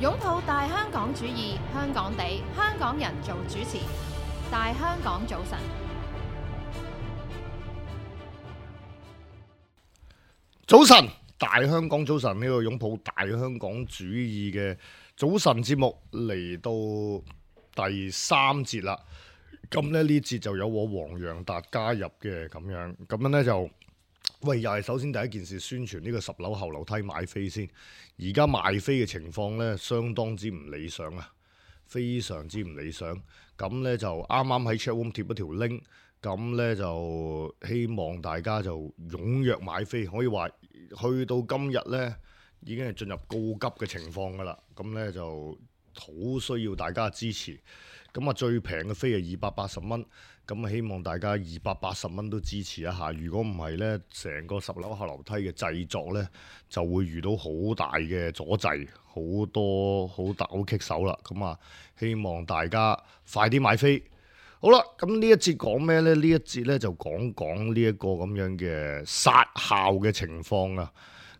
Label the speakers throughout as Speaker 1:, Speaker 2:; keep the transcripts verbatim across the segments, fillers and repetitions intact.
Speaker 1: 擁抱大香港主義，香港地，香港人做主持。大香港早晨，
Speaker 2: 早晨，大香港早晨，呢個擁抱大香港主義嘅早晨節目嚟到第三節啦。咁咧呢節就有我黃洋達加入嘅咁樣，咁樣咧就喂又係首先第一件事宣傳呢個十樓後樓梯買飛先。而家賣飛嘅情況咧相當之唔理想啊，非常之唔理想。咁咧就啱啱喺 chatroom 貼一條 link， 咁咧就希望大家就踴躍買飛，可以話去到今日咧已經係進入告急嘅情況噶啦。咁咧就好需要大家支持。咁啊最平嘅飛係二百八十蚊，咁啊希望大家二百八十蚊都支持一下。如果唔係呢，成個十樓後樓梯嘅製作呢就會遇到好大嘅阻滯，好多好大好棘手啦。咁啊希望大家快啲買飛。好啦，咁呢一節講咩呢？呢一節呢就講講呢一個咁樣嘅殺校嘅情況啊。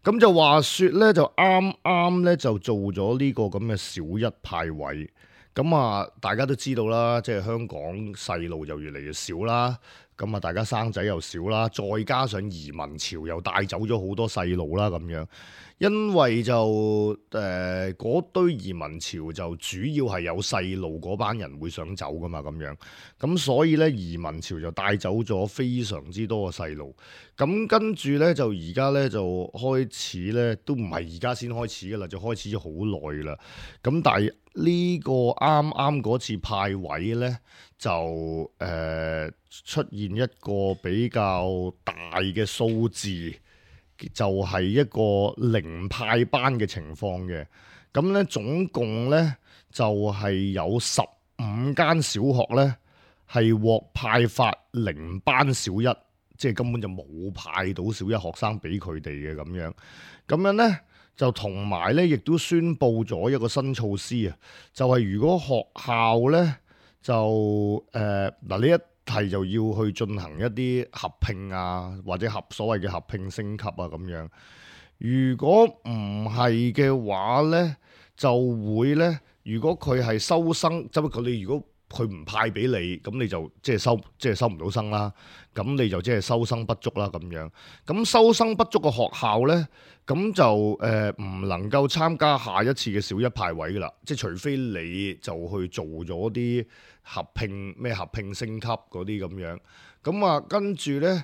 Speaker 2: 咁就話說呢，就啱啱呢就做咗呢個咁嘅小一派位。咁啊，大家都知道啦，即係香港細路就越嚟越少啦。咁啊，大家生仔又少啦，再加上移民潮又帶走咗好多細路啦，咁樣。因為就誒嗰堆移民潮就主要係有細路嗰班人會想走噶嘛，咁樣。咁所以呢，移民潮就帶走咗非常之多嘅細路。咁跟住呢，就而家呢，就開始呢，都唔係而家先開始噶啦，就開始咗好耐啦。咁但係呢個啱啱嗰次派位呢，就誒、呃、出現一個比較大嘅數字，就係、是、一個零派班嘅情況嘅。咁呢，總共呢，就係、是、有十五間小學呢，係獲派發零班小一，即係根本就冇派到小一學生俾佢哋嘅咁樣。咁樣呢，就同埋咧，亦都宣布咗一個新措施啊！就係、是、如果學校咧就誒嗱呢一題就要去進行一啲合併啊，或者合所謂嘅合併升級啊咁樣。如果唔係嘅話咧，就會咧，如果佢係收生，即係佢你如果佢唔派俾你，咁你就即係收即係收唔到生啦。咁你就即係收生不足啦咁樣。咁收生不足嘅學校咧，咁就誒唔、呃、能夠參加下一次嘅小一派位噶啦。即係除非你就去做咗啲合併咩合併升級嗰啲咁樣。咁啊跟住咧，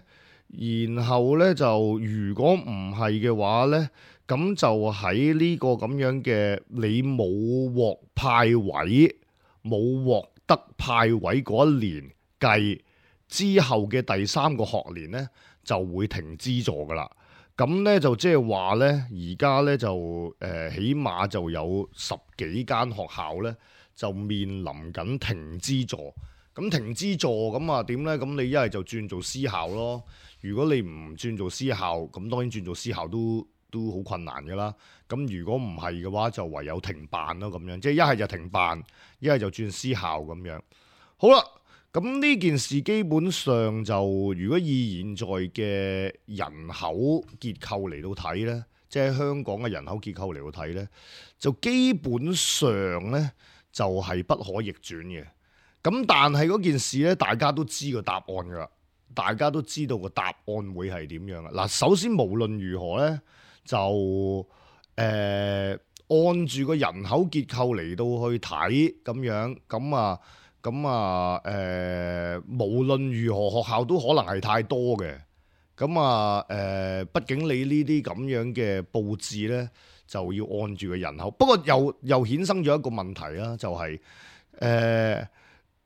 Speaker 2: 然後咧就如果唔係嘅話咧，咁就喺呢個咁樣嘅你冇獲派位冇獲得派位嗰一年計之後嘅第三個學年呢，就會停資助噶啦。咁呢，就即係話呢，而家呢，就誒、呃、起碼就有十幾間學校呢，就面臨緊停資助。咁停資助咁啊點呢？咁你一係就轉做私校咯。如果你唔轉做私校，咁當然轉做私校都都好困難噶啦。咁如果唔係嘅話，就唯有停辦咯咁樣。即係一係就停辦，一係就轉私校咁樣。好啦。咁呢件事基本上就，如果以現在嘅人口結構嚟到睇呢，即係香港嘅人口結構嚟到睇呢，就基本上呢，就係不可逆轉嘅。咁但係嗰件事呢，大家都知個答案㗎啦，大家都知道個答案會係點樣啊？嗱，首先無論如何呢，就誒、呃、按住個人口結構嚟到去睇咁樣，咁啊。咁啊，誒、呃，無論如何，學校都可能係太多嘅。咁啊，誒、呃，畢竟你呢啲咁樣嘅佈置呢，就要按住個人口。不過又又衍生咗一個問題啦，就係誒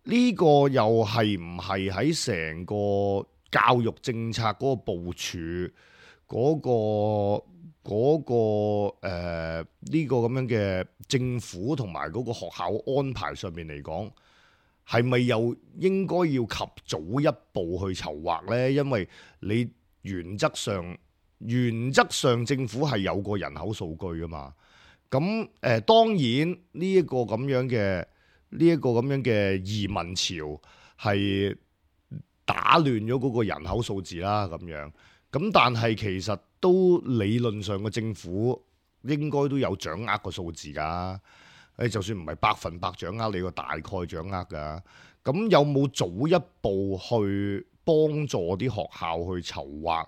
Speaker 2: 呢個又係唔係喺成個教育政策嗰個部署嗰、嗰個嗰、嗰個誒呢、呃呢個咁樣嘅政府同埋嗰個學校安排上面嚟講？係咪又應該要及早一步去籌劃呢？因為你原則上原則上政府係有個人口數據噶嘛。咁誒、呃、當然呢一個咁樣嘅呢一個咁樣嘅移民潮係打亂咗嗰個人口數字啦咁樣。咁但係其實都理論上個政府應該都有掌握個數字㗎。誒，就算唔係百分百掌握，你個大概掌握㗎。咁有冇早一步去幫助啲學校去籌劃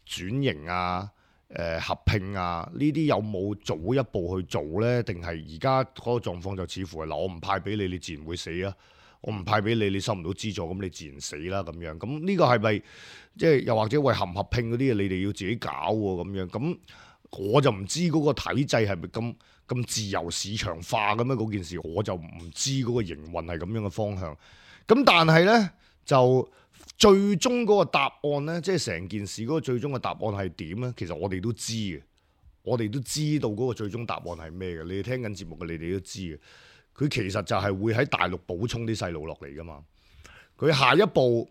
Speaker 2: 轉型啊、誒、呃、合併啊？呢啲有冇早一步去做呢？定係而家嗰個狀況就似乎係嗱，我唔派俾你，你自然會死啊！我唔派俾你，你收唔到資助，咁你自然死啦咁樣。咁呢個係咪即係又或者為合唔合併嗰啲嘢，你哋要自己搞喎咁樣？咁我就唔知嗰個體制係咪咁咁自由市場化咁樣嗰件事，我就唔知嗰個營運係咁樣嘅方向。咁但係呢，就最終嗰個答案呢，即係成件事嗰個最終嘅答案係點呢？其實我哋都知嘅，我哋都知道嗰個最終答案係咩嘅。你哋聽緊節目嘅，你哋都知嘅。佢其實就係會喺大陸補充啲細路落嚟噶嘛。佢下一步，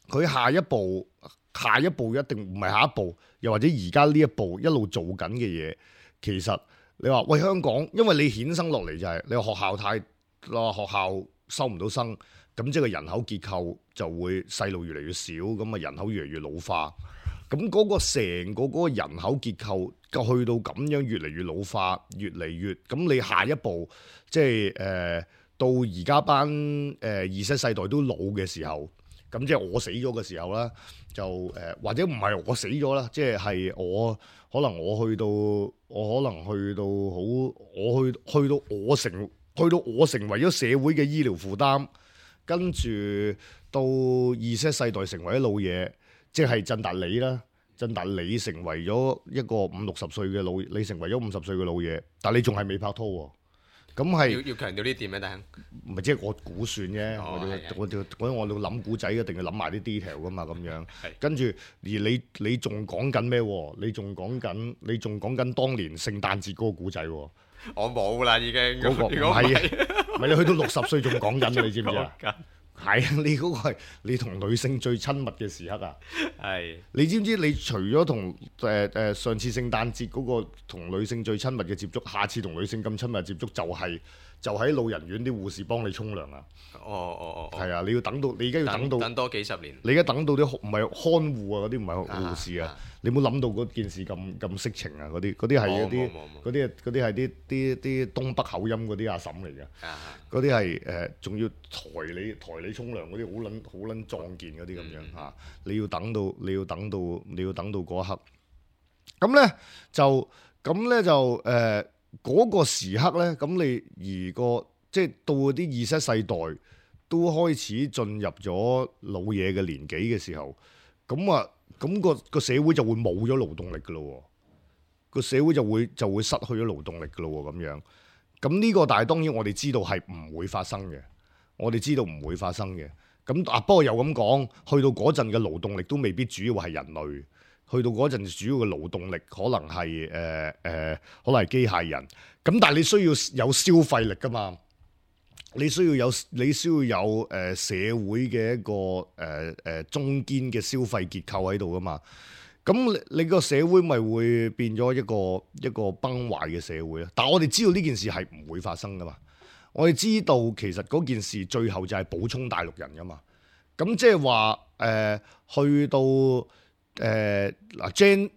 Speaker 2: 佢下一步，下一步一定唔係下一步，又或者而家呢一步一路做緊嘅嘢，其實你話喂香港，因為你衍生落嚟就係、是、你話學校太，話學校收唔到生，咁即係個人口結構就會細路越嚟越少，咁啊人口越嚟越老化，咁嗰個成個嗰個人口結構去到咁樣越嚟越老化，越嚟越咁，你下一步即係誒、呃、到而家班誒二世世代都老嘅時候，咁即係我死咗嘅時候啦，就誒、呃、或者唔係我死咗啦，即係係我可能我去到我可能去到好，我去去到我成去到我成為咗社會嘅醫療負擔，跟住到二世世代成為咗老嘢，即係振達你啦。振達你成為咗一個五六十歲嘅老，你成為咗五十歲嘅老嘢，但係你仲係未拍拖喎，咁係
Speaker 3: 要要強調呢點咩？大亨
Speaker 2: 唔係即係我估算啫，
Speaker 3: 哦、
Speaker 2: 我我我我我諗古仔一定要諗埋啲 detail 噶嘛，咁樣，
Speaker 3: 係
Speaker 2: 跟住而你你仲講緊咩？你仲講緊你仲講緊當年聖誕節嗰個古仔喎，
Speaker 3: 我冇啦已經，
Speaker 2: 嗰、嗰個唔係啊，唔係你去到六十歲仲講緊，你知唔知啊？係啊，你嗰個係你同女性最親密嘅時刻啊！係，你知唔知？你除咗同誒誒上次聖誕節嗰個同女性最親密嘅接觸，下次同女性咁親密嘅接觸就係、是、就喺老人院啲護士幫你沖涼啊！
Speaker 3: 哦哦哦，係
Speaker 2: 啊，你要等到你而家要等到
Speaker 3: 等，等多幾十年，
Speaker 2: 你而家等到啲唔係看護啊嗰啲唔係護士啊，
Speaker 3: 啊
Speaker 2: 你冇諗到嗰件事咁咁色情啊嗰啲嗰啲係一啲嗰啲嗰啲係啲啲啲東北口音嗰啲阿嬸嚟嘅，嗰啲係誒仲要抬你抬你沖涼嗰啲好撚好撚壯健嗰啲咁樣嚇，你要等到你要等到你要等到嗰一刻，咁咧就咁咧就誒嗰、呃嗰個時刻咧，咁你而個即係到嗰啲二世世代都開始進入咗老嘢嘅年紀嘅時候，咁啊咁個個社會就會冇咗勞動力噶咯，個社會就會就會失去咗勞動力噶咯咁樣。咁呢個但係當然我哋知道係唔會發生嘅，我哋知道唔會發生嘅。咁啊不過又咁講，去到嗰陣嘅勞動力都未必主要係人類，去到嗰陣主要嘅勞動力可能係誒誒可能係機械人。咁但係你需要有消費力噶嘛？你需要有你需要有誒、呃、社會嘅一個誒誒、呃呃、中堅嘅消費結構喺度噶嘛？咁你你個社會咪會變咗一個一個崩壞嘅社會咧？但係我哋知道呢件事係唔會發生噶嘛？我哋知道其實嗰件事最後就係補充大陸人噶嘛？咁即係話誒去到誒嗱 Gen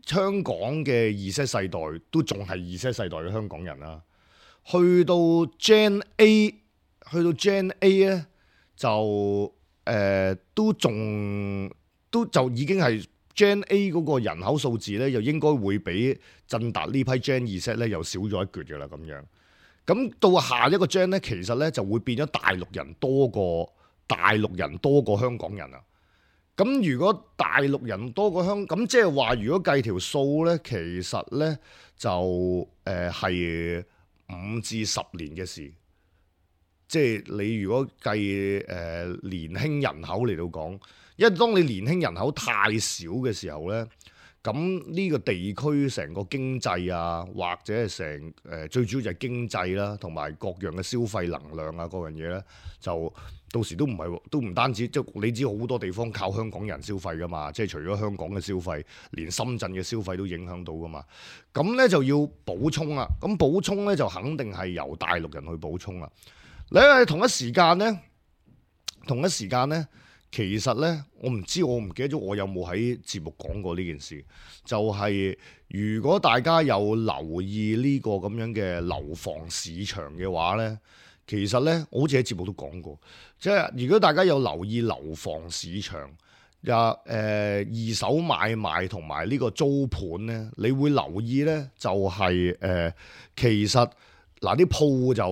Speaker 2: 香港嘅二世世代都仲係二世世代嘅香港人啦，去到 Gen A。去到 Gen A 咧，就誒、呃、都仲都就已經係 Gen A 嗰個人口數字咧，又應該會比振達呢批 Gen Z 咧又少咗一橛嘅啦咁樣。咁到下一個 Gen 咧，其實咧就會變咗大陸人多過大陸人多過香港人啊。咁如果大陸人多過香，咁即係話如果計條數咧，其實咧就誒係五至十年嘅事。即係你如果計誒、呃、年輕人口嚟到講，因為當你年輕人口太少嘅時候咧，咁呢個地區成個經濟啊，或者係成誒最主要就係經濟啦，同埋各樣嘅消費能量啊，各樣嘢咧，就到時都唔係都唔單止，即係你知好多地方靠香港人消費噶嘛，即係除咗香港嘅消費，連深圳嘅消費都影響到噶嘛。咁咧就要補充啦，咁補充咧就肯定係由大陸人去補充啦。你喺同一時間咧，同一時間咧，其實呢，我唔知，我唔記得咗我有冇喺節目講過呢件事。就係、是、如果大家有留意呢個咁樣嘅樓房市場嘅話呢，其實呢，我好似喺節目都講過，即係如果大家有留意樓房市場，又、呃、誒二手買賣同埋呢個租盤呢，你會留意呢，就係、是、誒、呃、其實嗱啲鋪就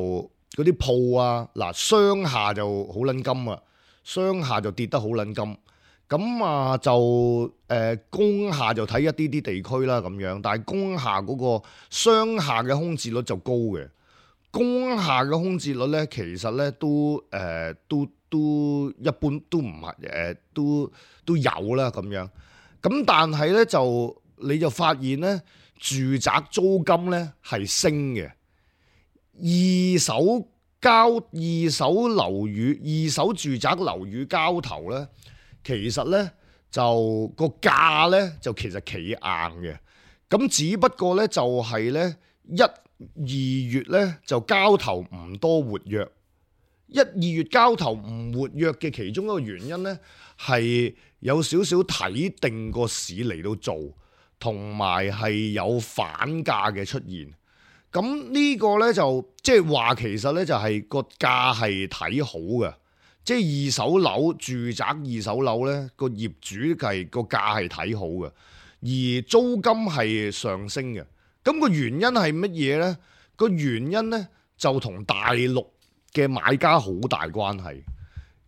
Speaker 2: 嗰啲鋪啊，嗱商廈就好撚金啊！商廈就跌得好撚金，咁啊就誒、呃、工廈就睇一啲啲地區啦咁樣，但係工廈嗰個商廈嘅空置率就高嘅，工廈嘅空置率咧其實咧都誒、呃、都都一般都唔係誒都都有啦咁樣，咁但係咧就你就發現咧住宅租金咧係升嘅，二手。交二手樓宇、二手住宅樓宇交投呢，其實呢就個價呢就其實企硬嘅，咁只不過呢就係呢一二月呢就交投唔多活躍，一二月交投唔活躍嘅其中一個原因呢係有少少睇定個市嚟到做，同埋係有反價嘅出現。咁呢個呢，就即係話其實呢，就係個價係睇好嘅，即係二手樓住宅二手樓呢個業主係個價係睇好嘅，而租金係上升嘅。咁個原因係乜嘢呢？個原因呢，就同大陸嘅買家好大關係，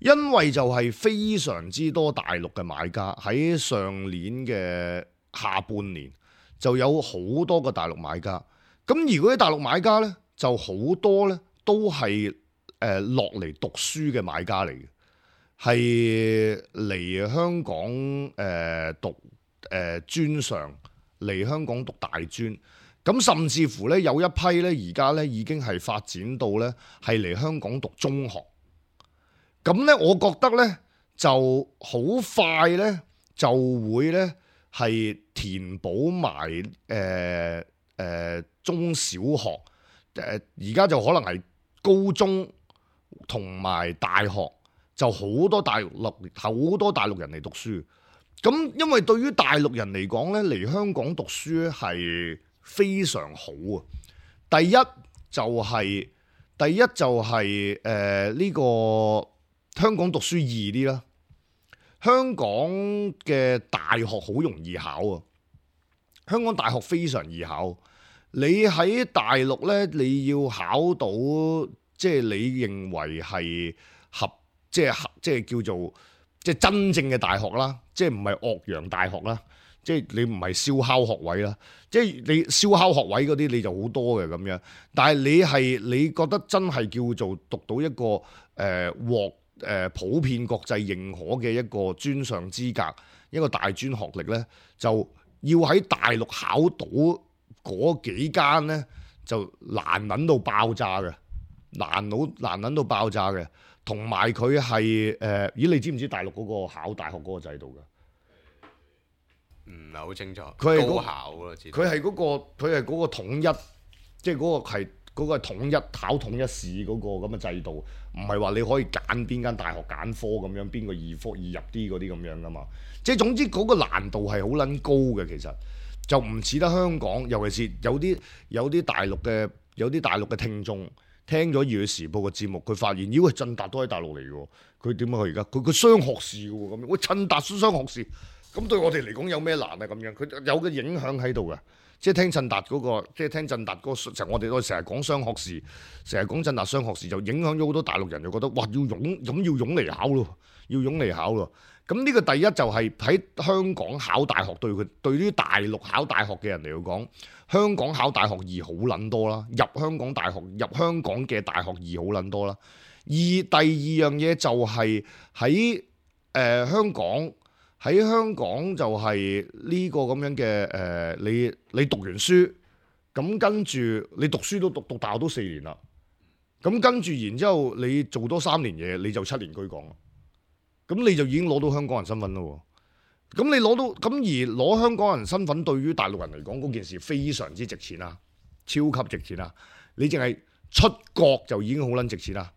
Speaker 2: 因為就係非常之多大陸嘅買家喺上年嘅下半年就有好多個大陸買家。咁如果啲大陸買家呢，就好多呢都係誒落嚟讀書嘅買家嚟嘅，係嚟香港誒、呃、讀誒、呃、專上，嚟香港讀大專。咁甚至乎呢，有一批呢而家呢已經係發展到呢係嚟香港讀中學。咁呢，我覺得呢就好快呢就會呢係填補埋誒。呃誒、呃、中小學誒而家就可能係高中同埋大學，就好多大陸好多大陸人嚟讀書。咁因為對於大陸人嚟講咧，嚟香港讀書係非常好啊。第一就係、是、第一就係誒呢個香港讀書易啲啦。香港嘅大學好容易考啊，香港大學非常易考。你喺大陸呢，你要考到即係你認為係合，即係合，即係叫做即係真正嘅大學啦，即係唔係岳陽大學啦，即係你唔係燒烤學位啦，即係你燒烤學位嗰啲你就好多嘅咁樣。但係你係你覺得真係叫做讀到一個誒、呃、獲誒、呃、普遍國際認可嘅一個專上資格，一個大專學歷呢，就要喺大陸考到。嗰幾間呢就難撚到爆炸嘅，難到難撚到爆炸嘅，同埋佢係誒，咦？你知唔知大陸嗰個考大學嗰個制度㗎？
Speaker 3: 唔係好清楚。
Speaker 2: 佢係
Speaker 3: 高考咯，
Speaker 2: 佢係嗰個佢係嗰個統一，即係嗰個係嗰個係統一考統一試嗰個咁嘅制度，唔係話你可以揀邊間大學揀科咁樣，邊個易科易入啲嗰啲咁樣㗎嘛。即係總之嗰個難度係好撚高嘅，其實。就唔似得香港，尤其是有啲有啲大陸嘅有啲大陸嘅聽眾聽咗《粵語時報》嘅節目，佢發現，咦喂，振達都喺大陸嚟嘅喎，佢點解佢而家佢佢雙學士嘅喎咁樣，喂，振達雙學士，咁對我哋嚟講有咩難啊咁樣？佢有個影響喺度嘅，即係聽振達嗰個，即係聽振達嗰個，成我哋都成日講雙學士，成日講振達雙學士，就影響咗好多大陸人，就覺得哇要湧咁要湧嚟考咯，要湧嚟考咯。咁呢個第一就係喺香港考大學，對佢對於大陸考大學嘅人嚟講，香港考大學易好撚多啦，入香港大學入香港嘅大學易好撚多啦。而第二樣嘢就係喺誒香港喺香港就係呢個咁樣嘅誒、呃，你你讀完書，咁跟住你讀書都讀讀大學都四年啦，咁跟住然之後你做多三年嘢，你就七年居港啦。咁你就已經攞到香港人身份咯喎，咁你攞到咁而攞香港人身份對於大陸人嚟講嗰件事非常之值錢啊，超級值錢啊！你淨係出國就已經好撚值錢啦，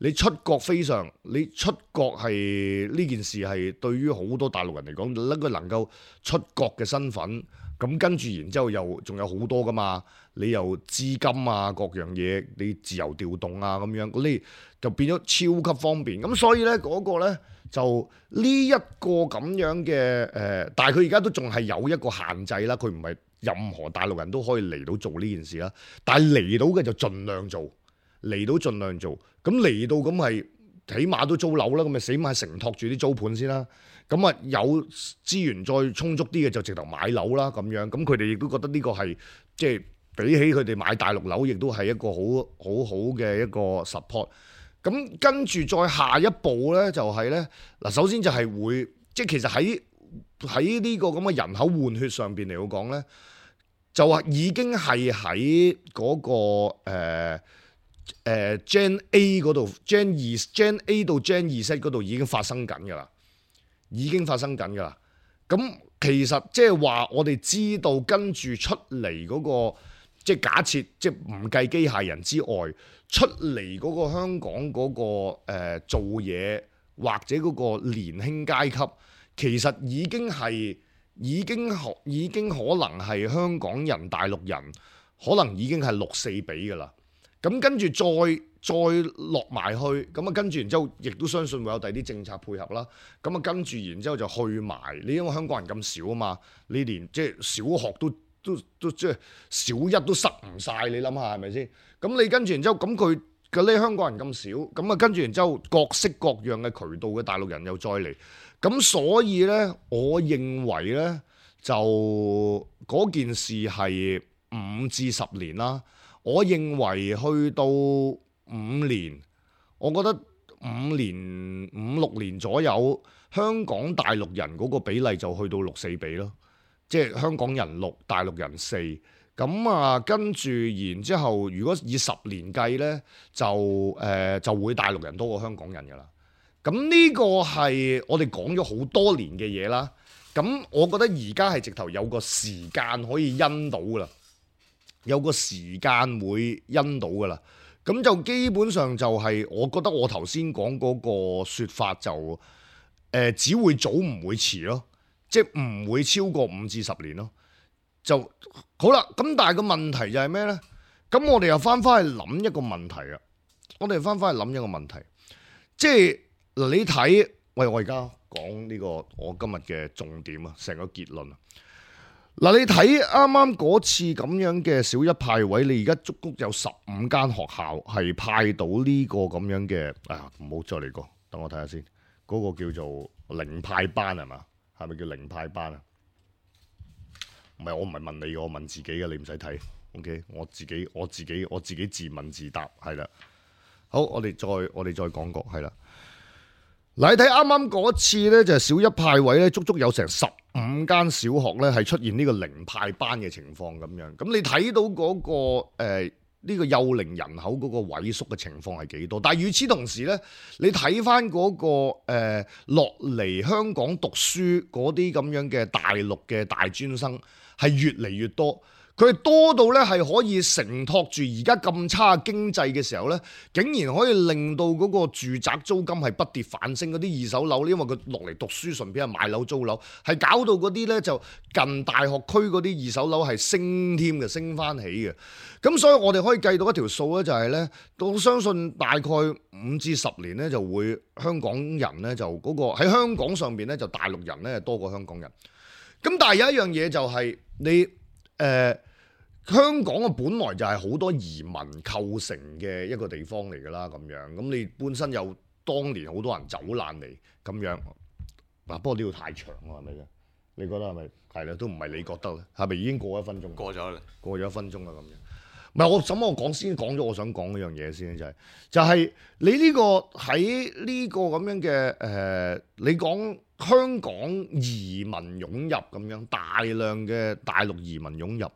Speaker 2: 你出國非常，你出國係呢件事係對於好多大陸人嚟講，一個能夠出國嘅身份，咁跟住然之後又仲有好多噶嘛，你又資金啊各樣嘢，你自由調動啊咁樣，嗰啲就變咗超級方便。咁所以呢嗰、嗰個呢就呢一個咁樣嘅誒、呃，但係佢而家都仲係有一個限制啦，佢唔係任何大陸人都可以嚟到做呢件事啦，但係嚟到嘅就盡量做。嚟到盡量做，咁嚟到咁係起碼都租樓啦，咁咪起碼承托住啲租盤先啦。咁啊有資源再充足啲嘅就直頭買樓啦咁樣。咁佢哋亦都覺得呢個係即係比起佢哋買大陸樓，亦都係一個好好好嘅一個 support。咁跟住再下一步呢，就係呢。嗱，首先就係會即係其實喺喺呢個咁嘅人口換血上邊嚟講呢，就話已經係喺嗰個、呃誒、呃、Gen A 嗰度 ，Gen 二 Gen A 到 Gen 二 set 嗰度已經發生緊㗎啦，已經發生緊㗎啦。咁其實即係話我哋知道跟住出嚟嗰、那個，即係假設即係唔計機械人之外，出嚟嗰個香港嗰、那個誒、呃、做嘢或者嗰個年輕階級，其實已經係已經學已經可能係香港人大陸人，可能已經係六四比㗎啦。咁跟住再再落埋去，咁啊跟住然之後，亦都相信會有第啲政策配合啦。咁啊跟住然之後就去埋，你因為香港人咁少啊嘛，你連即係小學都都都即係小一都塞唔晒，你諗下係咪先？咁你跟住然之後，咁佢嘅呢香港人咁少，咁啊跟住然之後各式各樣嘅渠道嘅大陸人又再嚟，咁所以呢，我認為呢，就嗰件事係五至十年啦。我認為去到五年，我覺得五年五六年左右，香港大陸人嗰個比例就去到六四比咯，即係香港人六，大陸人四。咁啊，跟住然之後，如果以十年計呢，就誒、呃、就會大陸人多過香港人㗎啦。咁呢個係我哋講咗好多年嘅嘢啦。咁我覺得而家係直頭有個時間可以因到㗎啦。有個時間會因到㗎啦，咁就基本上就係我覺得我頭先講嗰個説法就誒、呃、只會早唔會遲咯，即係唔會超過五至十年咯，就好啦。咁但係個問題就係咩呢？咁我哋又翻返去諗一個問題啊！我哋翻返去諗一個問題，即係嗱你睇，喂我而家講呢個我今日嘅重點啊，成個結論啊。嗱，你睇啱啱嗰次咁樣嘅小一派位，你而家足足有十五間學校係派到呢個咁樣嘅，啊唔好再嚟過，等我睇下先，嗰、那個叫做零派班係嘛？係咪叫零派班啊？唔係，我唔係問你，我問自己嘅，你唔使睇 ，OK？我自己我自己我自己自問自答，係啦。好，我哋再我哋再講過，係啦。嗱，你睇啱啱嗰次咧，就係小一派位咧，足足有成十五間小學咧係出現呢個零派班嘅情況咁樣。咁你睇到嗰、那個誒呢、呃這個幼齡人口嗰個萎縮嘅情況係幾多？但係與此同時咧，你睇翻嗰個誒落嚟香港讀書嗰啲咁樣嘅大陸嘅大專生係越嚟越多。佢哋多到咧係可以承托住而家咁差經濟嘅時候咧，竟然可以令到嗰個住宅租金係不跌反升。嗰啲二手樓，因為佢落嚟讀書順便係買樓租樓，係搞到嗰啲咧就近大學區嗰啲二手樓係升添嘅，升翻起嘅。咁所以我哋可以計到一條數咧，就係咧，我相信大概五至十年咧就會香港人咧就嗰個喺香港上邊咧就大陸人咧多過香港人。咁但係有一樣嘢就係你誒。呃香港啊，本來就係好多移民構成嘅一個地方嚟㗎啦，咁樣咁你本身有當年好多人走難嚟咁樣嗱，不過呢度太長喎，係咪啫？你覺得係咪？係啦，都唔係你覺得咧，係咪已經過一分鐘？
Speaker 3: 過咗啦，
Speaker 2: 過咗一分鐘啦，咁樣。唔係我，咁我講先講咗我想講嗰樣嘢先，就係、是、就係、是、你呢、這個喺呢個咁樣嘅誒、呃，你講香港移民湧入咁樣大量嘅大陸移民湧入。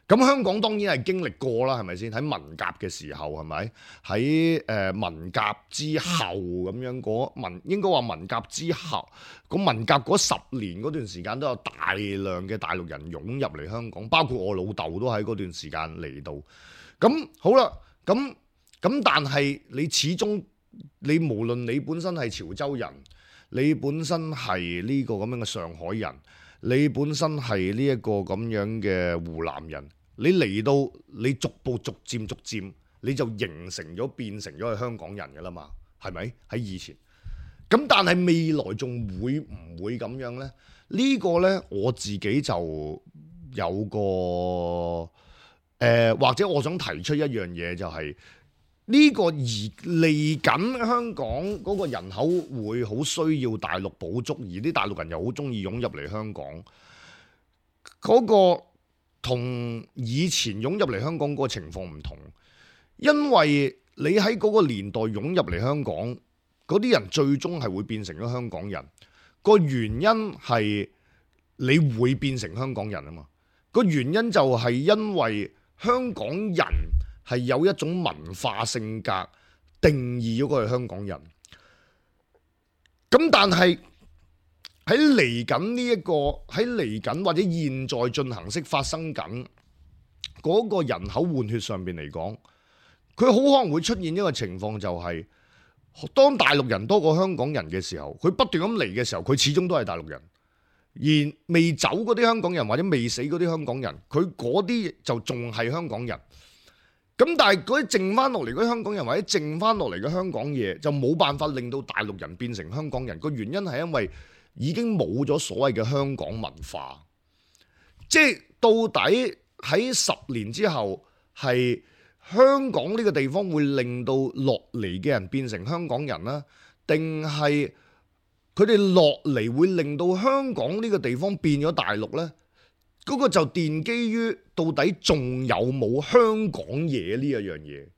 Speaker 2: 咁香港當然係經歷過啦，係咪先？喺文革嘅時候係咪？喺誒文革之後咁樣嗰文應該話文革之後，咁文革嗰十年嗰段時間都有大量嘅大陸人湧入嚟香港，包括我老豆都喺嗰段時間嚟到。咁好啦，咁咁但係你始終你無論你本身係潮州人，你本身係呢個咁樣嘅上海人，你本身係呢一個咁樣嘅湖南人，你嚟到你逐步逐漸逐漸，你就形成咗變成咗係香港人㗎啦嘛，係咪？喺以前，咁但係未來仲會唔會咁樣呢？呢個呢，我自己就有個誒、呃，或者我想提出一樣嘢就係、是。呢個而嚟緊香港嗰個人口會好需要大陸補足，而啲大陸人又好中意湧入嚟香港。嗰個同以前湧入嚟香港嗰個情況唔同，因為你喺嗰個年代湧入嚟香港，嗰啲人最終係會變成咗香港人。個原因係你會變成香港人啊嘛。個原因就係因為香港人係有一種文化性格定義咗佢係香港人，咁但係喺嚟緊呢一個喺嚟緊或者現在進行式發生緊嗰個人口換血上邊嚟講，佢好可能會出現一個情況，就係當大陸人多過香港人嘅時候，佢不斷咁嚟嘅時候，佢始終都係大陸人，而未走嗰啲香港人或者未死嗰啲香港人，佢嗰啲就仲係香港人。咁但係嗰啲剩翻落嚟嗰啲香港人或者剩翻落嚟嘅香港嘢，就冇辦法令到大陸人變成香港人。個原因係因為已經冇咗所謂嘅香港文化，即係到底喺十年之後，係香港呢個地方會令到落嚟嘅人變成香港人啦，定係佢哋落嚟會令到香港呢個地方變咗大陸呢？嗰個就奠基於到底仲有冇香港嘢呢一樣嘢。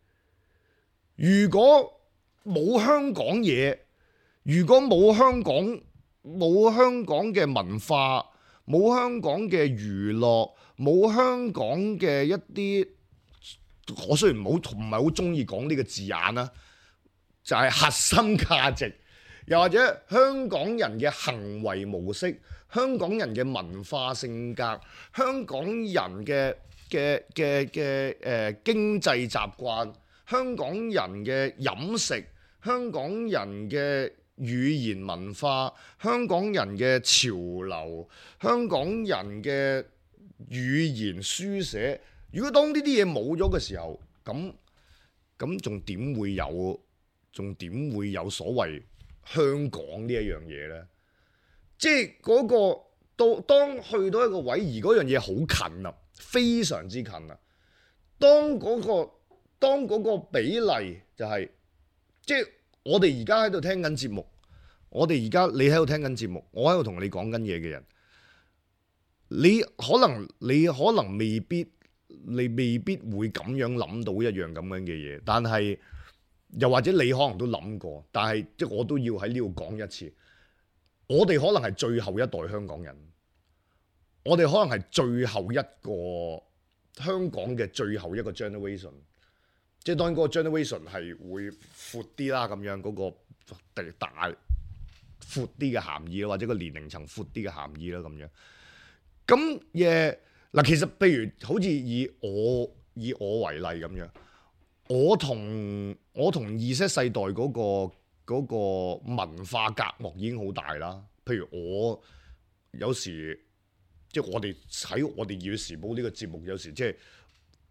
Speaker 2: 如果冇香港嘢，如果冇香港冇香港嘅文化，冇香港嘅娛樂，冇香港嘅一啲，我雖然唔好唔係好中意講呢個字眼啦，就係核心價值，又或者香港人嘅行為模式，香港人嘅文化性格，香港人嘅嘅嘅嘅誒經濟習慣，香港人嘅飲食，香港人嘅語言文化，香港人嘅潮流，香港人嘅語言書寫。如果當呢啲嘢冇咗嘅時候，咁咁仲點會有？仲點會有所謂香港呢一樣嘢呢？即係嗰個到當去到一個位，而嗰樣嘢好近啊，非常之近啊。當嗰個當嗰個比例就係，即係我哋而家喺度聽緊節目，我哋而家你喺度聽緊節目，我喺度同你講緊嘢嘅人，你可能你可能未必你未必會咁樣諗到一樣咁樣嘅嘢，但係又或者你可能都諗過，但係即係我都要喺呢度講一次。我哋可能係最後一代香港人，我哋可能係最後一個香港嘅最後一個 generation， 即係當然嗰個 generation 係會闊啲啦，咁樣嗰個大闊啲嘅涵義啦，或者個年齡層闊啲嘅涵義啦，咁樣。咁誒嗱，其實譬如好似以我以我為例咁樣，我同我同二 set 世代嗰個。嗰個文化隔膜已經好大啦。譬如我有時即係我哋喺我哋《二月時報》呢個節目，有時即係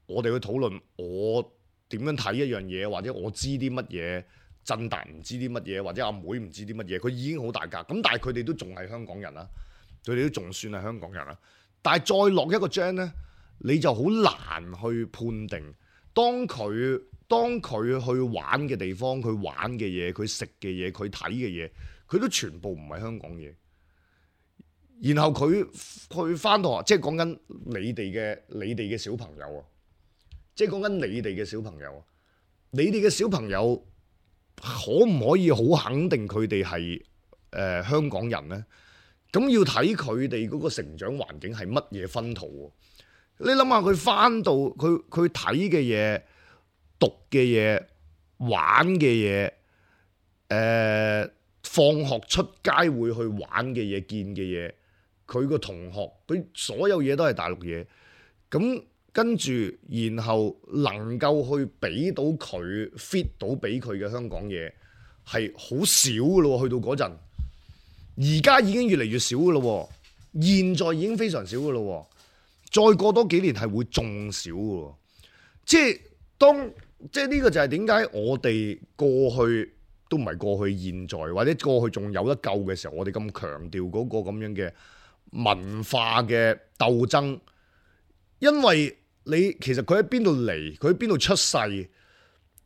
Speaker 2: 我哋去討論我點樣睇一樣嘢，或者我知啲乜嘢，振達唔知啲乜嘢，或者阿妹唔知啲乜嘢，佢已經好大格。咁但係佢哋都仲係香港人啦，佢哋都仲算係香港人啦。但係再落一個章呢，你就好難去判定當佢。當佢去玩嘅地方，佢玩嘅嘢，佢食嘅嘢，佢睇嘅嘢，佢都全部唔係香港嘢。然後佢去返學，即係講緊你哋嘅你哋嘅小朋友啊，即係講緊你哋嘅小朋友啊，你哋嘅小朋友可唔可以好肯定佢哋係誒香港人呢？咁要睇佢哋嗰個成長環境係乜嘢薰陶喎？你諗下佢返到佢佢睇嘅嘢。讀嘅嘢、玩嘅嘢、誒、呃、放學出街會去玩嘅嘢、見嘅嘢，佢個同學佢所有嘢都係大陸嘢，咁跟住然後能夠去俾到佢 fit 到俾佢嘅香港嘢，係好少噶咯，去到嗰陣，而家已經越嚟越少噶咯，現在已經非常少噶咯，再過多幾年係會仲少噶，即係當即係呢個就係點解我哋過去都唔係過去，現在或者過去仲有得救嘅時候，我哋咁強調嗰個咁樣嘅文化嘅鬥爭，因為你其實佢喺邊度嚟，佢喺邊度出世，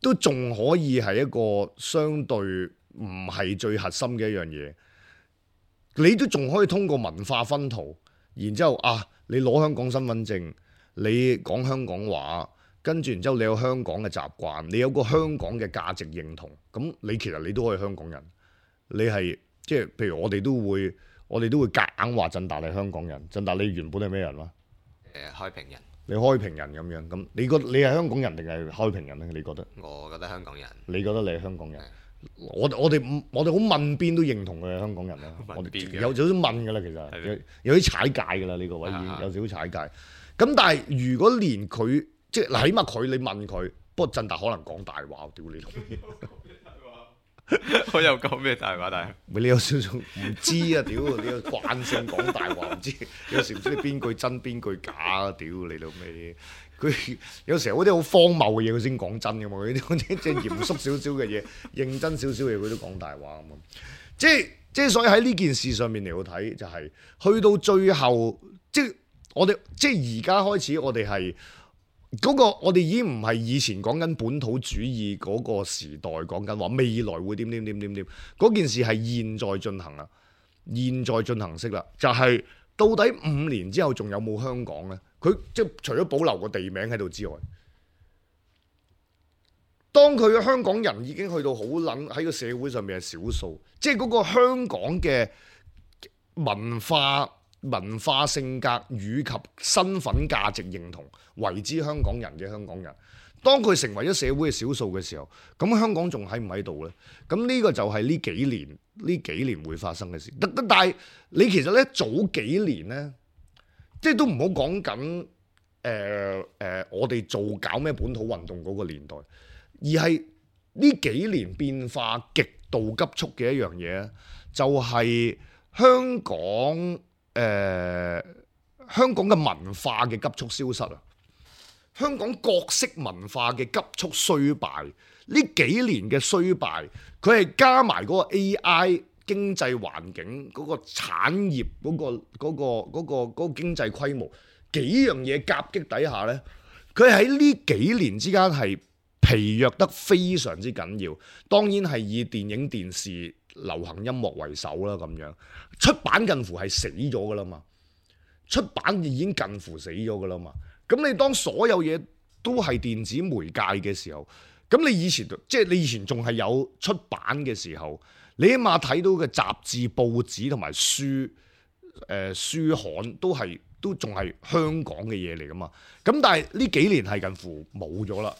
Speaker 2: 都仲可以係一個相對唔係最核心嘅一樣嘢。你都仲可以通過文化薰陶，然之後啊，你攞香港身份證，你講香港話，跟住然之後你有香港嘅習慣，你有個香港嘅價值認同，咁你其實你都可以香港人。你係即係譬如我哋都會，我哋都會夾硬話振達係香港人。振達你原本係咩人啊？
Speaker 3: 誒，開平人。
Speaker 2: 你開平人咁樣，咁你覺得你係香港人定係開平人咧？你覺得？
Speaker 3: 我覺得香港人。
Speaker 2: 你覺得你係香港人？我我哋我哋好問邊都認同佢係香港人啦。我哋有少少問噶啦，其實有有啲踩界噶啦，呢個位已經有少少踩界。咁但係如果連佢即係起碼佢你問佢，不過振達可能講大話，屌你老味！
Speaker 3: 我又講咩大話？但係
Speaker 2: 你有少少唔知啊！屌你個慣性講大話，唔知有時唔知你邊句真邊句假啊！屌你老味！佢有時候嗰啲好荒謬嘅嘢，佢先講真噶嘛。嗰啲嗰啲即係嚴肅少少嘅嘢，認真少少嘅嘢，佢都講大話咁。即係即係，所以喺呢件事上面嚟到睇，就係、是、去到最後，即係我哋即係而家開始，我哋係嗰個，我哋已經唔係以前講緊本土主義嗰個時代講緊話未來會點點點點點，嗰件事係現在進行啦，現在進行式啦，就係、是、到底五年之後仲有冇香港咧？佢即係除咗保留個地名喺度之外，當佢嘅香港人已經去到好撚喺個社會上面係少數，即係嗰個香港嘅文化、文化性格與及身份價值認同為之香港人嘅香港人，當佢成為咗社會嘅少數嘅時候，咁香港仲喺唔喺度呢？咁呢個就係呢幾年呢幾年會發生嘅事。但係你其實呢，早幾年呢。即係都唔好講緊誒誒，我哋做搞咩本土運動嗰個年代，而係呢幾年變化極度急速嘅一樣嘢，就係、是、香港誒、呃、香港嘅文化嘅急速消失啊！香港角色文化嘅急速衰敗，呢幾年嘅衰敗，佢係加埋嗰個 A I。經濟環境嗰、嗰個產業嗰、嗰個嗰、嗰個嗰、嗰個嗰個經濟規模幾樣嘢夾擊底下呢，佢喺呢幾年之間係疲弱得非常之緊要。當然係以電影、電視、流行音樂為首啦。咁樣出版近乎係死咗噶啦嘛，出版已經近乎死咗噶啦嘛。咁你當所有嘢都係電子媒介嘅時候，咁你以前即係你以前仲係有出版嘅時候。你起碼睇到嘅雜誌、報紙同埋書，誒、呃、書刊都係都仲係香港嘅嘢嚟噶嘛？咁但係呢幾年係近乎冇咗啦，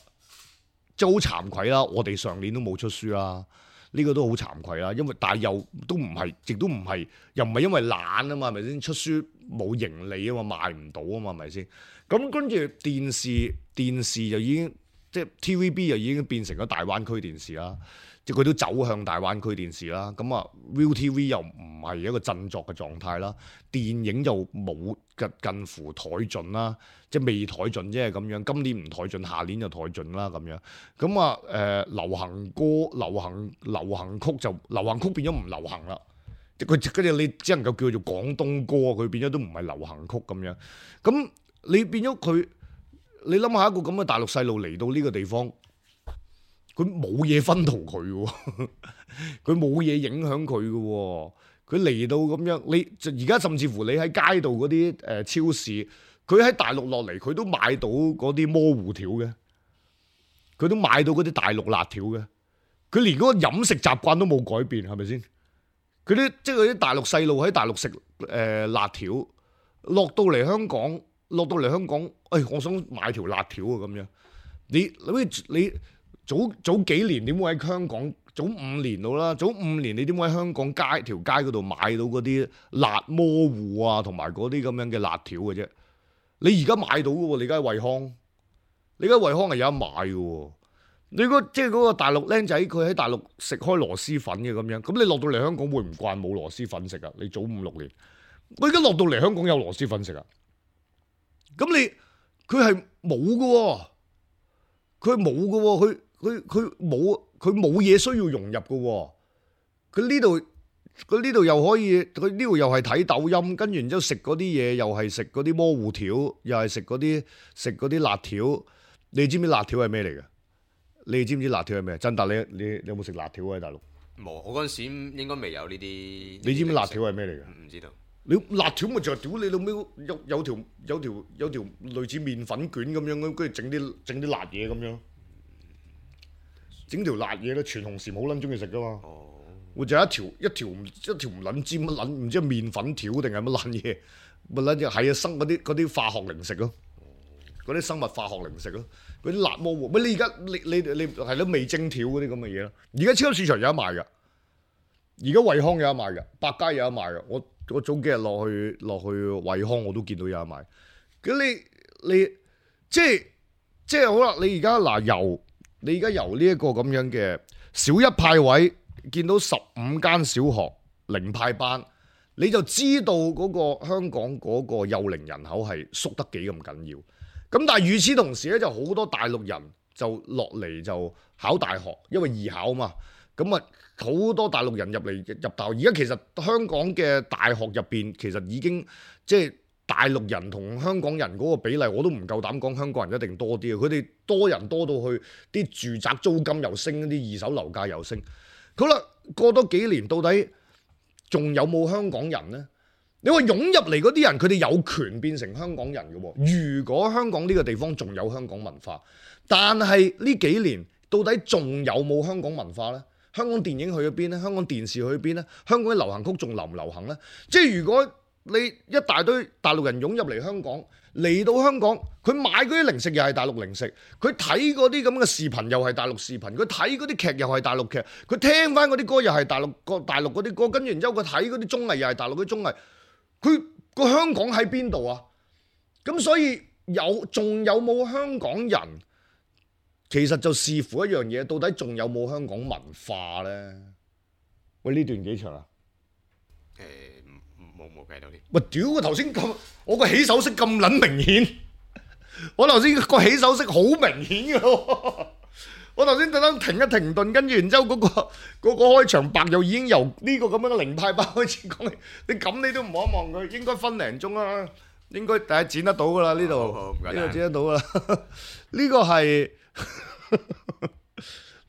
Speaker 2: 即係好慚愧啦！我哋上年都冇出書啦，呢、這個都好慚愧啦。因為但係又都唔係，亦都唔係，又唔係因為懶啊嘛，係咪先？出書冇盈利啊嘛，賣唔到啊嘛，係咪先？咁跟住電視，電視就已經即係 T V B 就已經變成咗大灣區電視啦。即係佢都走向大灣區電視啦，咁啊 ViuTV 又唔係一個振作嘅狀態啦，電影就冇近近乎殆盡啦，即係未殆盡啫咁樣，今年唔殆盡，下年就殆盡啦咁樣，咁啊誒流行歌、流行流行曲就流行曲變咗唔流行啦，即係佢跟住你只能夠叫做廣東歌，佢變咗都唔係流行曲咁樣，咁你變咗佢，你諗下一個咁嘅大陸細路嚟到呢個地方。佢冇嘢薰陶佢嘅，佢冇嘢影響佢嘅，佢嚟到咁樣，你而家甚至乎你喺街度嗰啲誒超市，佢喺大陸落嚟，佢都買到嗰啲模糊條嘅，佢都買到嗰啲大陸辣條嘅，佢連嗰個飲食習慣都冇改變，係咪先？佢啲即係嗰啲大陸細路喺大陸食誒、呃、辣條，落到嚟香港，落到嚟香港，誒、哎，我想買條辣條啊咁樣，你你你。早早幾年點會喺香港？早五年到啦，早五年你點會喺香港街條街嗰度買到嗰啲辣模糊啊，同埋嗰啲咁樣嘅辣條嘅啫？你而家買到嘅喎，你而家喺惠康，你而家惠康係有得買嘅喎。你嗰即係嗰個大陸僆仔，佢喺大陸食開螺絲粉嘅咁樣，咁你落到嚟香港會唔慣冇螺絲粉食啊？你早五六年，我而家落到嚟香港有螺絲粉食啊？咁你佢係冇㗎，佢係冇㗎，佢佢佢冇佢冇嘢需要融入㗎，佢呢度。佢呢度又可以，佢呢度又係睇抖音，跟住然之後食嗰啲嘢，又係食嗰啲模糊條，又係食嗰啲食嗰啲辣條。你知唔知辣條係咩嚟嘅？你知唔知辣條係咩？真達，你你你有冇食辣條喺大陸？
Speaker 3: 冇，我嗰陣時應該未有呢啲。
Speaker 2: 你知唔知辣條係咩嚟嘅？
Speaker 3: 唔知道。
Speaker 2: 你辣條咪就係屌你老味，有有條有條有條類似麵粉卷咁樣，跟住整啲整啲辣嘢咁樣，整條辣嘢咧，全紅嬋好撚中意食噶嘛。
Speaker 3: 哦。
Speaker 2: 會就一條一條一條唔撚尖乜撚，唔知係麵粉條定係乜撚嘢，乜撚嘢係啊，生嗰啲嗰啲化學零食咯，嗰啲生物化學零食咯，嗰啲辣模糊。喂，你而家你你你係咯味精條嗰啲咁嘅嘢咯，而家超級市場有得賣㗎，而家惠康有得賣㗎，百佳有得賣㗎。我我早幾日落去落去惠康我都見到有得賣。咁你你即係即係好啦，你而家嗱由你而家由呢一個咁樣嘅小一派位。見到十五間小學零派班，你就知道嗰個香港嗰個幼齡人口係縮得幾咁緊要。咁但係與此同時咧，就好多大陸人就落嚟就考大學，因為易考嘛。咁啊，好多大陸人入嚟入大學。而家其實香港嘅大學入邊，其實已經即係大陸人同香港人嗰個比例，我都唔夠膽講香港人一定多啲啊。佢哋多人多到去啲住宅租金又升，啲二手樓價又升。好啦，過多幾年到底仲有冇香港人呢？你話湧入嚟嗰啲人，佢哋有權變成香港人嘅喎。如果香港呢個地方仲有香港文化，但係呢幾年到底仲有冇香港文化呢？香港電影去咗邊呢？香港電視去咗邊呢？香港啲流行曲仲流唔流行呢？即係如果你一大堆大陸人湧入嚟香港，嚟到香港，佢買嗰啲零食又係大陸零食，佢睇嗰啲咁嘅視頻又係大陸視頻，佢睇嗰啲劇又係大陸劇，佢聽翻嗰啲歌又係大陸個大陸嗰啲歌，跟住然之後佢睇嗰啲綜藝又係大陸嗰啲綜藝，佢個香港喺邊度啊？咁所以有仲有冇香港人，其實就視乎一樣嘢，到底仲有冇香港文化咧？喂，呢段幾長啊？
Speaker 3: 誒。冇冇計到啲。
Speaker 2: 喂，屌！我頭先咁，我個起手式咁撚明顯，我頭先個起手式好明顯嘅喎。我頭先特登停一停頓，跟住然之後嗰個嗰個開場白又已經由呢個咁樣嘅零派班開始講起。你咁你都唔望一望佢，應該分零鐘啦，應該第一剪得到噶啦呢度，呢度剪得到啦。呢個係，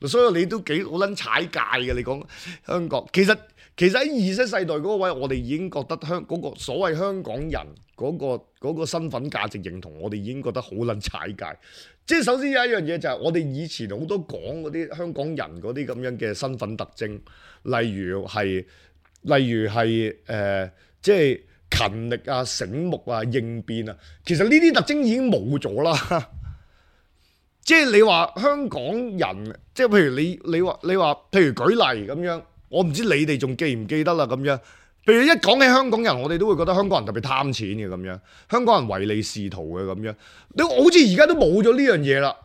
Speaker 2: 所以你都幾好撚踩界嘅。你講香港，其實。其實喺二十世代嗰個位，我哋已經覺得香嗰個所謂香港人嗰個嗰個身份價值認同，我哋已經覺得好撚踩界。即係首先有一樣嘢就係我哋以前好多講嗰啲香港人嗰啲咁樣嘅身份特徵，例如係例如係誒、呃，即係勤力啊、醒目啊、應變啊，其實呢啲特徵已經冇咗啦。即係你話香港人，即係譬如你你話你話，譬如舉例咁樣。我唔知你哋仲記唔記得啦咁樣，譬如一講起香港人，我哋都會覺得香港人特別貪錢嘅咁樣，香港人唯利是圖嘅咁樣。你好似而家都冇咗呢樣嘢啦，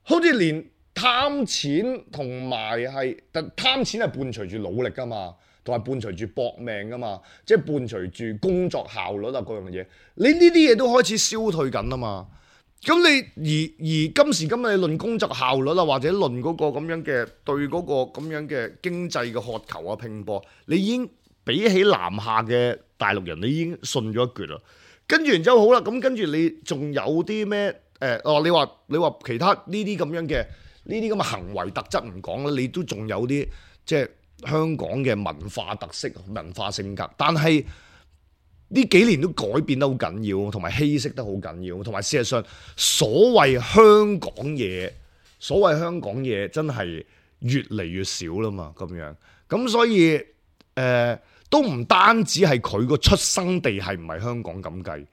Speaker 2: 好似連貪錢同埋係，但貪錢係伴隨住努力噶嘛，同埋伴隨住搏命噶嘛，即係伴隨住工作效率啊嗰樣嘢。你呢啲嘢都開始消退緊啊嘛。咁你而而今時今日你論工作效率啊，或者論嗰個咁樣嘅對嗰個咁樣嘅經濟嘅渴求啊拼搏，你已經比起南下嘅大陸人，你已經信咗一橛啦。跟住然之後好啦，咁跟住你仲有啲咩誒？哦，你話你話其他呢啲咁樣嘅呢啲咁嘅行為特質唔講啦，你都仲有啲即係香港嘅文化特色、文化性格，但係。呢幾年都改變得好緊要，同埋稀釋得好緊要，同埋事實上所謂香港嘢，所謂香港嘢真係越嚟越少啦嘛，咁樣咁所以誒、呃、都唔單止係佢個出生地係唔係香港咁計，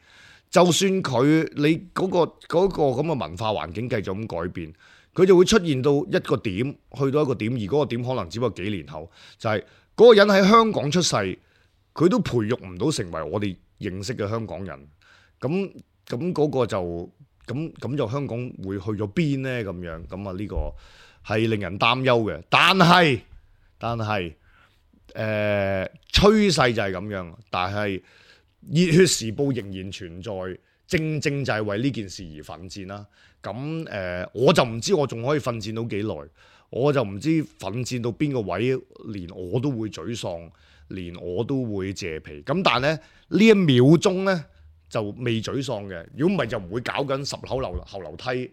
Speaker 2: 就算佢你嗰、嗰個嗰、嗰個咁嘅文化環境繼續咁改變，佢就會出現到一個點，去到一個點，而嗰個點可能只不過幾年後，就係、係、嗰個人喺香港出世。佢都培育唔到成為我哋認識嘅香港人，咁咁嗰個就咁咁就香港會去咗邊呢？咁樣咁啊呢個係令人擔憂嘅。但係但係誒、呃、趨勢就係咁樣，但係熱血時報仍然存在，正正就係為呢件事而奮戰啦。咁誒、呃、我就唔知我仲可以奮戰到幾耐，我就唔知奮戰到邊個位，連我都會沮喪，連我都會謝皮。咁但係咧呢一秒鐘咧就未沮喪嘅，如果唔係就唔會搞緊十樓樓後樓梯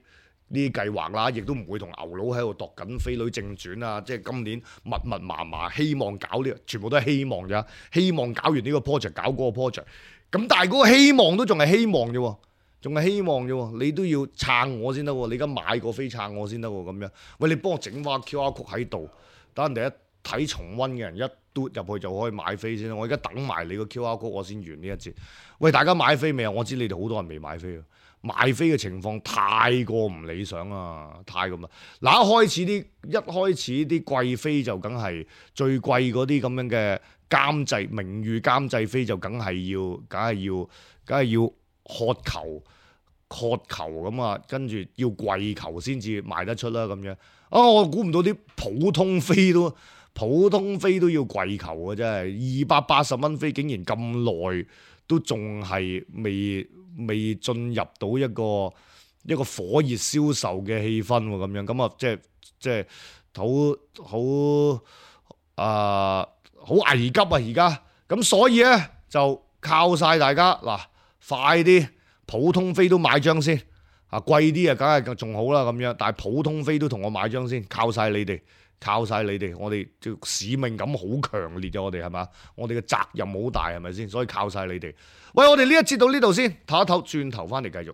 Speaker 2: 呢啲計劃啦，亦都唔會同牛佬喺度度緊《飛女正傳》啊，即係今年密密麻麻希望搞呢、這個，全部都係希望咋，希望搞完呢個 project，搞嗰個 project。咁但係嗰個希望都仲係希望啫，仲係希望啫，你都要撐我先得喎，你而家買個飛撐我先得喎，咁樣。喂，你幫我整翻 Q R code 喺度，等人哋一睇重溫嘅人一嘟入去就可以買飛先。我而家等埋你個 Q R code，我先完呢一節。喂，大家買飛未啊？我知你哋好多人未買飛啊。買飛嘅情況太過唔理想啊，太咁啦。嗱，一開始啲一開始啲貴飛就梗係最貴嗰啲咁樣嘅監製名譽監製飛就梗係要，梗係要，梗係要渴求渴求咁啊，跟住要跪求先至賣得出啦咁樣。啊，我估唔到啲普通飛都普通飛都要跪求嘅，真係二百八十蚊飛竟然咁耐都仲係未未進入到一個一個火熱銷售嘅氣氛喎，咁樣咁啊，即係即係好好啊好危急啊而家，咁所以咧就靠晒大家嗱，快啲普通飛都買張先啊，貴啲啊梗係仲好啦咁樣，但係普通飛都同我買張先，靠晒你哋。靠晒你哋，我哋使命感好強烈嘅，我哋係嘛？我哋嘅責任好大係咪先？所以靠晒你哋。喂，我哋呢一節到呢度先，唞一唞，轉頭翻嚟繼續。